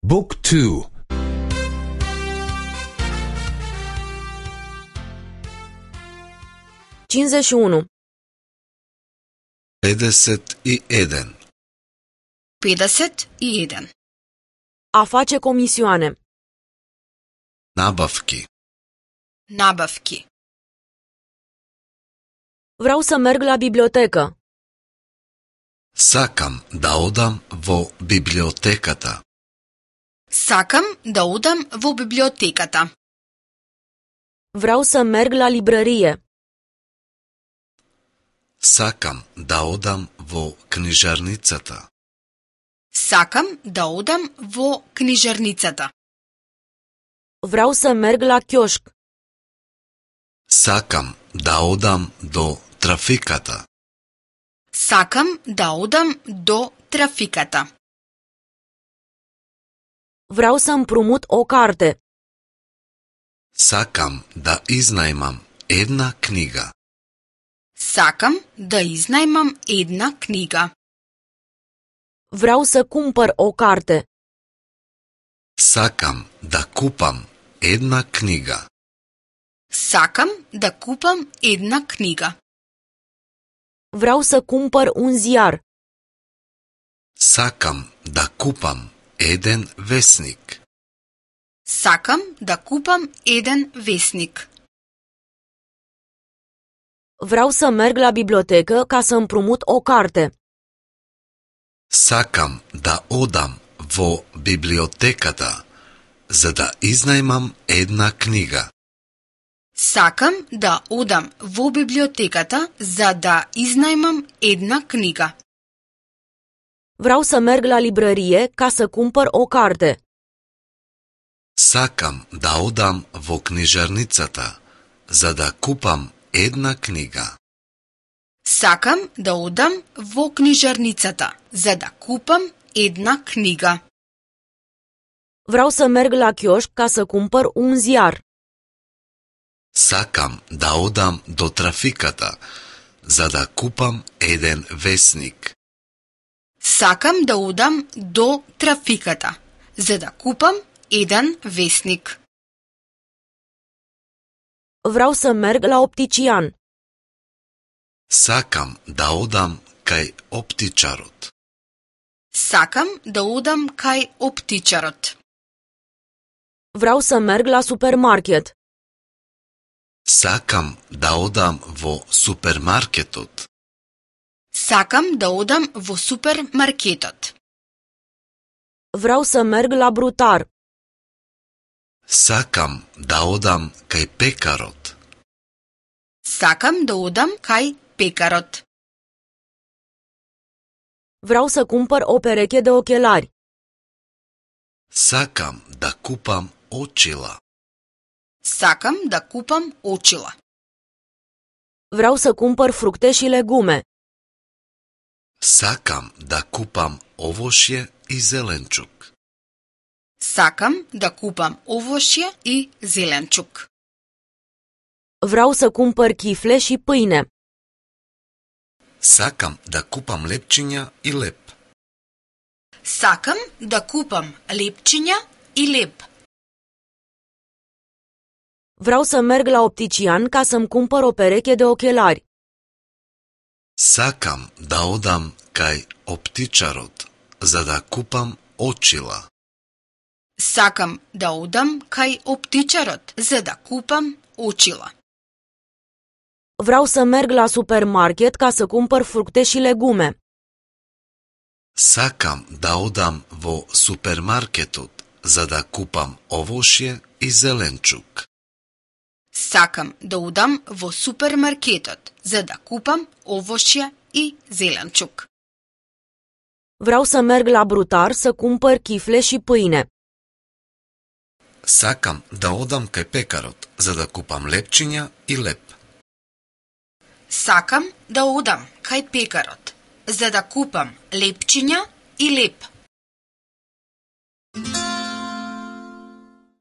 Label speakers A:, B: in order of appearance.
A: Book 2.
B: 51.
C: 51.
D: 51.
B: A face comisioane.
C: Nabavki.
D: Nabavki.
B: Vreau să merg la bibliotecă.
C: Сакам да одам во библиотеката.
D: Сакам да одам во библиотеката.
B: Vreau să merg la librărie.
C: Сакам да одам во книжарницата.
D: Сакам да одам во книжарницата.
B: Vreau să merg la chioșc.
C: Сакам да одам до трафиката.
D: Сакам да одам до трафиката.
B: Vreau să împrumut o carte.
C: Сакам да изнајмам една книга.
D: Сакам да изнајмам една книга.
B: Vreau să cumpăr o carte.
C: Сакам да купам една книга.
D: Сакам да купам една книга.
B: Vreau să cumpăr un ziar.
C: Сакам да купам еден весник.
D: Сакам да купам еден весник.
B: Vreau să merg la bibliotecă ca să împrumut o carte.
C: Сакам да одам во библиотеката за да изнајмам една книга.
D: Сакам да одам во библиотеката за да изнајмам една книга.
B: Vreau să merg la librărie ca să cumpăr o carte.
C: Сакам да одам во книжарницата за да купам една книга.
D: Сакам да одам во книжарницата за да купам една книга.
B: Vreau să merg la chioșc ca să cumpăr un ziar.
C: Сакам да одам до трафиката за да купам еден весник.
D: Сакам да одам до трафиката за да купам еден весник.
B: Vreau să merg la optician.
C: Сакам да одам кај оптичарот.
D: Сакам да одам кај оптичарот.
B: Vreau să merg la supermarket.
C: Сакам да одам во супермаркетот.
D: Сакам да одам во супермаркетот.
B: Vreau să merg la brutar.
C: Сакам да одам кај пекарот.
D: Сакам да одам кај пекарот.
B: Vreau să cumpăr o pereche de ochelari.
C: Сакам да купам очила.
D: Сакам да купам очила.
B: Vreau să cumpăr fructe și legume.
C: Сакам да купам овошје и зеленчук.
D: Сакам да купам овошје и зеленчук.
B: Vreau să cumpăr chifle și pâine.
C: Сакам да купам лепчиња и леп.
D: Сакам да купам лепчиња и леп.
B: Vreau să merg la optician ca să-mi cumpăr o pereche de ochelari.
C: Сакам да одам кај оптичарот за да купам очила.
D: Сакам да одам кај оптичарот за да купам очила.
B: Vreau să merg la supermarket ca să cumpăr fructe și legume.
C: Сакам да одам во супермаркетот за да купам овошје и зеленчук.
D: Сакам да одам во супермаркетот за да купам овошје и зеленчук.
B: Vreau să merg la brutar să cumpăr chifle și pâine.
C: Сакам да одам кај пекарот за да купам лепчиња и леп.
D: Сакам да одам кај пекарот за да купам лепчиња и леп.